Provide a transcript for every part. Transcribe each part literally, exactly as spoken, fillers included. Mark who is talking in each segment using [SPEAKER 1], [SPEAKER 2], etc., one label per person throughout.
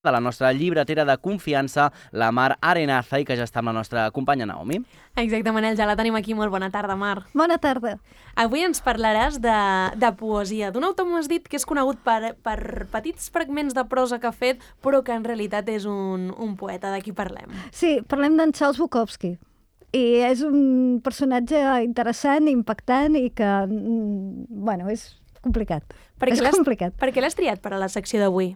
[SPEAKER 1] de la nostra llibretera de confiança, la Mar Arenaza, i que ja està amb la nostra companya Naomi.
[SPEAKER 2] Exacte, Manel, ja la tenim aquí. Molt bona tarda, Mar.
[SPEAKER 3] Bona tarda.
[SPEAKER 2] Avui ens parlaràs de, de poesia, d'un autor, m'has dit, que és conegut per, per petits fragments de prosa que ha fet, però que en realitat és un, un poeta. De qui parlem?
[SPEAKER 3] Sí, parlem d'en Charles Bukowski. I és un personatge interessant, impactant i que, bueno, és complicat.
[SPEAKER 2] Per
[SPEAKER 3] és complicat.
[SPEAKER 2] Per què l'has triat per a la secció d'avui?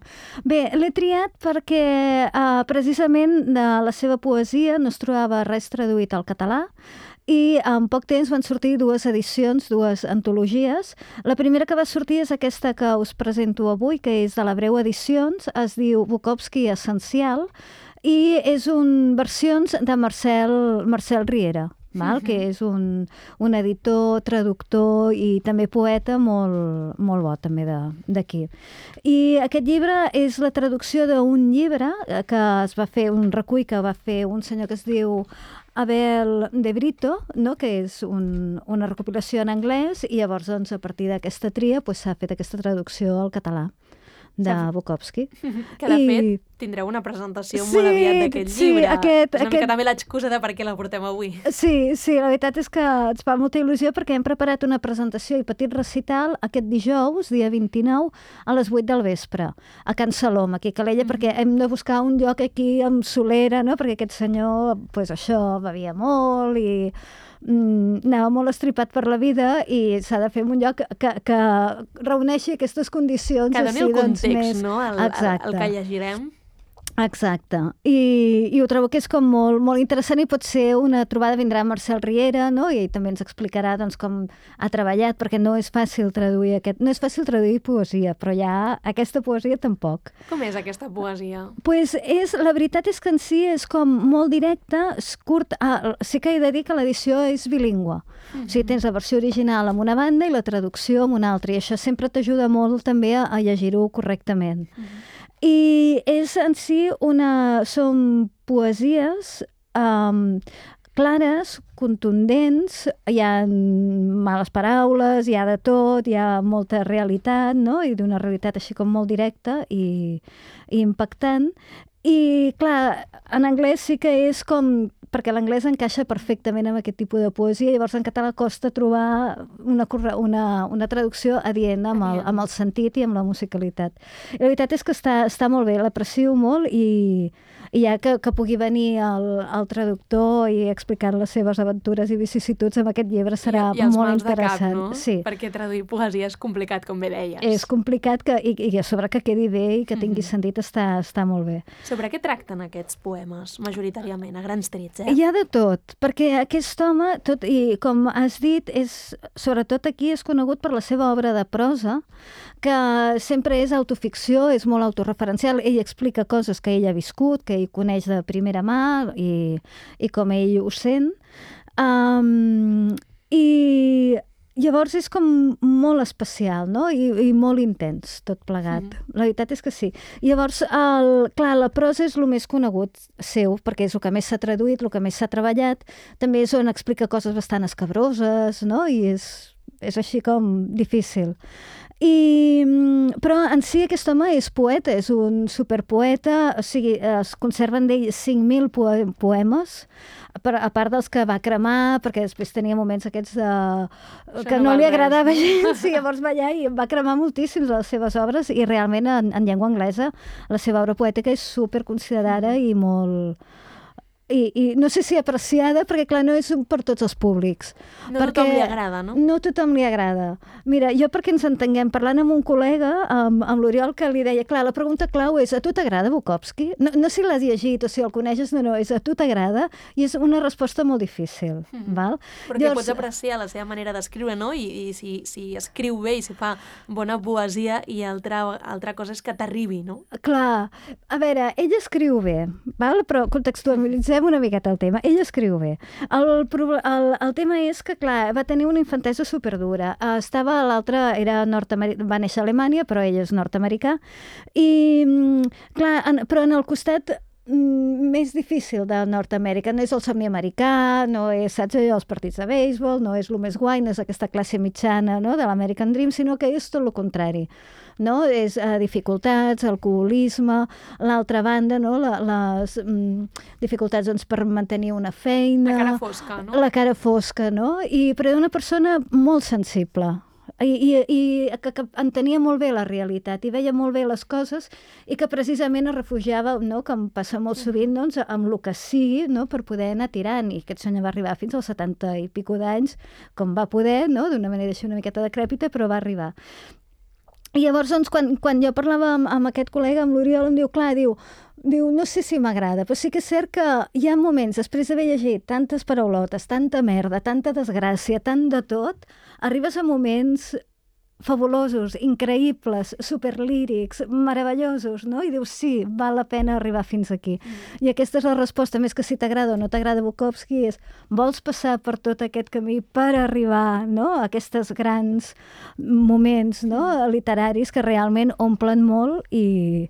[SPEAKER 3] Bé, l'he triat perquè uh, precisament de la seva poesia no es trobava res traduït al català i en poc temps van sortir dues edicions, dues antologies. La primera que va sortir és aquesta que us presento avui, que és de la Breu Edicions, es diu Bukowski Essencial, i és un versions de Marcel, Marcel Riera, val? Uh-huh. Que és un, un editor, traductor i també poeta molt, molt bo també d'aquí. I aquest llibre és la traducció d'un llibre que es va fer, un recull que va fer un senyor que es diu Abel de Brito, no? Que és un, una recopilació en anglès, i llavors doncs, a partir d'aquesta tria s'ha pues, fet aquesta traducció al català de Bukowski.
[SPEAKER 2] Que de I... fet tindreu una presentació sí, molt aviat d'aquest sí, llibre.
[SPEAKER 3] Aquest,
[SPEAKER 2] és una
[SPEAKER 3] aquest...
[SPEAKER 2] mica també l'excusa de per què la portem avui.
[SPEAKER 3] Sí, sí, la veritat és que ens fa molta il·lusió perquè hem preparat una presentació i petit recital aquest dijous, dia vint-i-nou, a les vuit del vespre, a Can Salom, aquí a Calella, mm-hmm. perquè hem de buscar un lloc aquí amb solera, no? Perquè aquest senyor, pues això, bevia molt i mm, anava molt estripat per la vida i s'ha de fer en un lloc que, que reuneixi aquestes condicions.
[SPEAKER 2] Que doni
[SPEAKER 3] així,
[SPEAKER 2] el context,
[SPEAKER 3] doncs, més...
[SPEAKER 2] no? El, el, el que llegirem.
[SPEAKER 3] Exacte. I, i ho trobo que és com molt, molt interessant i pot ser una trobada, vindrà Marcel Riera, no? I també ens explicarà doncs, com ha treballat, perquè no és fàcil traduir aquest... No és fàcil traduir poesia, però ja aquesta poesia tampoc.
[SPEAKER 2] Com és aquesta poesia?
[SPEAKER 3] Pues és, la veritat és que en si és com molt directa, és curt... Ah, sí que he de dir que l'edició és bilingüe. Mm-hmm. O sigui, tens la versió original amb una banda i la traducció amb una altra, i això sempre t'ajuda molt també a, a llegir-ho correctament. Mm-hmm. I és en si una... Són poesies um, clares, contundents, hi ha males paraules, hi ha de tot, hi ha molta realitat, no? I d'una realitat així com molt directa i, i impactant. I, clar, en anglès sí que és com... perquè l'anglès encaixa perfectament amb aquest tipus de poesia, llavors en català costa trobar una, una, una traducció adient amb el, amb el sentit i amb la musicalitat. I la veritat és que està, està molt bé, l'aprecio molt i, i ja que, que pugui venir el, el traductor i explicar les seves aventures i vicissituds amb aquest llibre serà
[SPEAKER 2] I, i
[SPEAKER 3] molt interessant.
[SPEAKER 2] Cap, no?
[SPEAKER 3] Sí.
[SPEAKER 2] Perquè traduir poesia és complicat, com bé deies.
[SPEAKER 3] És complicat que, i, i a sobre que quedi bé i que tingui mm-hmm. sentit està, està molt bé.
[SPEAKER 2] Sobre què tracten aquests poemes, majoritàriament, a grans trets? Eh?
[SPEAKER 3] Hi ha de tot, perquè aquest home, tot, i com has dit, és, sobretot aquí és conegut per la seva obra de prosa, que sempre és autoficció, és molt autorreferencial. Ell explica coses que ell ha viscut, que ell coneix de primera mà i, i com ell ho sent. Um, I llavors és com molt especial, no? I, i molt intens, tot plegat. Mm. La veritat és que sí. Llavors, el, clar, la prosa és el més conegut seu, perquè és el que més s'ha traduït, el que més s'ha treballat. També és on explica coses bastant escabroses, no? I és, és així com difícil. I, però en si aquest home és poeta, és un superpoeta, o sigui, es conserven d'ell cinc mil poemes, a part dels que va cremar, perquè després tenia moments aquests de... que no, no li agradava gens, i llavors va allà i va cremar moltíssims de les seves obres, i realment en, en llengua anglesa la seva obra poètica és superconsiderada i molt... I, i no sé si apreciada, perquè clar, no és per tots els públics.
[SPEAKER 2] No
[SPEAKER 3] perquè
[SPEAKER 2] tothom li agrada, no?
[SPEAKER 3] No tothom li agrada. Mira, jo perquè ens entenguem, parlant amb un col·lega, amb, amb l'Oriol, que li deia, clar, la pregunta clau és, a tu t'agrada Bukowski? No, no si l'has llegit o si el coneixes, no, no, és a tu t'agrada? I és una resposta molt difícil, mm. val?
[SPEAKER 2] Perquè Llavors... pots apreciar la seva manera d'escriure, no? I, i si, si escriu bé i si fa bona poesia, i altra, altra cosa és que t'arribi, no?
[SPEAKER 3] Clar, a veure, ell escriu bé, val? Però contextualitzem una miqueta el tema. Ell escriu bé. El, el, el tema és que, clar, va tenir una infantesa superdura. Estava, l'altre era nord-americà, va néixer a Alemanya, però ell és nord-americà. I, clar, en, però en el costat mm, més difícil de Nord-Amèrica. No és el somni americà, no és, saps allò, els partits de béisbol, no és el més guai, no és aquesta classe mitjana, no?, de l'American Dream, sinó que és tot el contrari. No? És eh, dificultats, alcoholisme, l'altra banda, no? La, les mm, dificultats doncs, per mantenir una feina...
[SPEAKER 2] La cara fosca, no?
[SPEAKER 3] La cara fosca, no? I, però una persona molt sensible i, i, i que, que entenia molt bé la realitat i veia molt bé les coses i que precisament es refugiava, no? Que em passa molt sovint, doncs, amb el que sigui, no? Per poder anar tirant. I aquest senyor va arribar fins als setanta i pico d'anys, com va poder, no? D'una manera així una miqueta decrèpita, però va arribar. I llavors, doncs, quan, quan jo parlava amb, amb aquest col·lega, amb l'Oriol, em diu, clar, diu, diu, no sé si m'agrada, però sí que és cert que hi ha moments, després d'haver llegit tantes paraulotes, tanta merda, tanta desgràcia, tant de tot, arribes a moments fabulosos, increïbles, superlírics, meravellosos, no? I dius, sí, val la pena arribar fins aquí. Mm. I aquesta és la resposta, més que si t'agrada o no t'agrada Bukowski, és vols passar per tot aquest camí per arribar, no?, a aquests grans moments, no?, literaris que realment omplen molt i...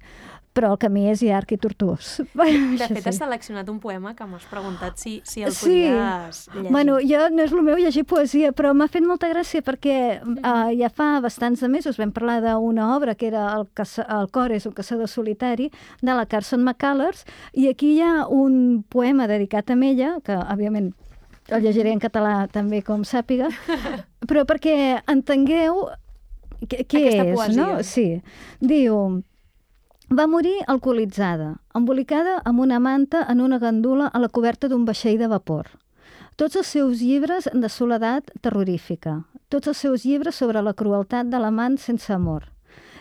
[SPEAKER 3] però el camí és llarg i tortuós.
[SPEAKER 2] De fet, has seleccionat un poema que m'has preguntat si, si el
[SPEAKER 3] sí.
[SPEAKER 2] podies llegir.
[SPEAKER 3] Bueno, jo no és el meu llegir poesia, però m'ha fet molta gràcia perquè uh, ja fa bastants de mesos vam parlar d'una obra que era el, caça, el cor és un caçador solitari, de la Carson McCullers, i aquí hi ha un poema dedicat a ella, que òbviament el llegiré en català també com sàpiga, però perquè entengueu què, què
[SPEAKER 2] Aquesta
[SPEAKER 3] és,
[SPEAKER 2] poesia.
[SPEAKER 3] no? Sí. Diu... Va morir alcoholitzada, emboliccada amb una manta en una gandula a la coberta d'un vaixell de vapor. Tots els seus llibres de soledat terrorífica, tots els seus llibres sobre la crueltat de l'amant sense amor.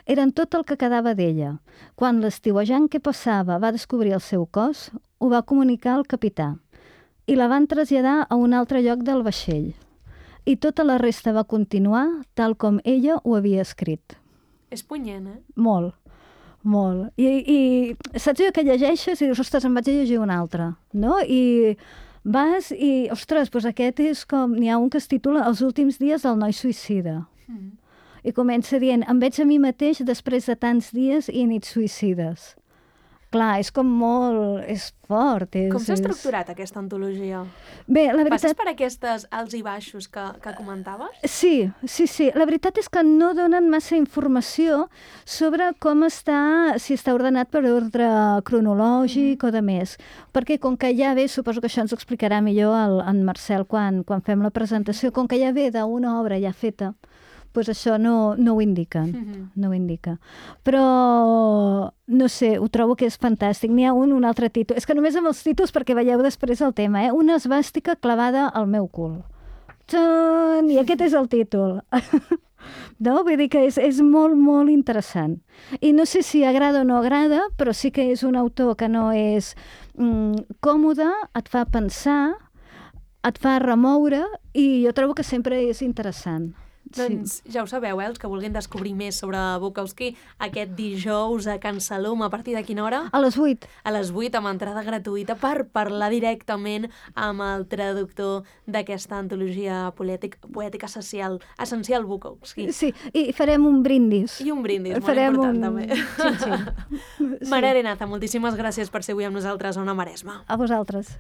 [SPEAKER 3] Eren tot el que quedava d'ella. Quan l'estiuejant que passava va descobrir el seu cos, ho va comunicar al capità i la van traslladar a un altre lloc del vaixell. I tota la resta va continuar tal com ella ho havia escrit.
[SPEAKER 2] És punyent, eh?
[SPEAKER 3] Molt. Molt. I, i saps allò que llegeixes i dius, ostres, em vaig a llegir un altre, no? I vas i, ostres, doncs aquest és com... N'hi ha un que es titula Els últims dies del noi suïcida. Mm. I comença dient, em veig a mi mateix després de tants dies i nits suïcides. Clar, és com molt... és fort. És,
[SPEAKER 2] Com s'ha
[SPEAKER 3] és...
[SPEAKER 2] estructurat aquesta antologia?
[SPEAKER 3] Bé, la veritat...
[SPEAKER 2] Passes per aquestes alts i baixos que, que comentaves?
[SPEAKER 3] Sí, sí, sí. La veritat és que no donen massa informació sobre com està, si està ordenat per ordre cronològic mm-hmm. o de més. Perquè com que ja ve, suposo que això ens ho explicarà millor el, en Marcel quan, quan fem la presentació, com que ja ve d'una obra ja feta, doncs això no, no ho indica, mm-hmm. no ho indica. Però, no sé, ho trobo que és fantàstic. N'hi ha un, un altre títol. És que només amb els títols, perquè veieu després el tema, eh? Una esvàstica clavada al meu cul. Txan! I aquest és el títol. No? Vull dir que és, és molt, molt interessant. I no sé si agrada o no agrada, però sí que és un autor que no és mm, còmode, et fa pensar, et fa remoure, i jo trobo que sempre és interessant.
[SPEAKER 2] Doncs sí. Ja ho sabeu, eh? Els que vulguin descobrir més sobre Bukowski, aquest dijous a Can Salom, a partir de quina hora?
[SPEAKER 3] A les vuit.
[SPEAKER 2] A les vuit, amb entrada gratuïta, per parlar directament amb el traductor d'aquesta antologia poètica, poètica essencial, essencial Bukowski.
[SPEAKER 3] Sí, i farem un brindis.
[SPEAKER 2] I un brindis, molt
[SPEAKER 3] farem
[SPEAKER 2] important
[SPEAKER 3] un...
[SPEAKER 2] també.
[SPEAKER 3] Xin, xin.
[SPEAKER 2] Mare Arenaza, moltíssimes gràcies per ser avui amb nosaltres a Ona Maresma.
[SPEAKER 3] A vosaltres.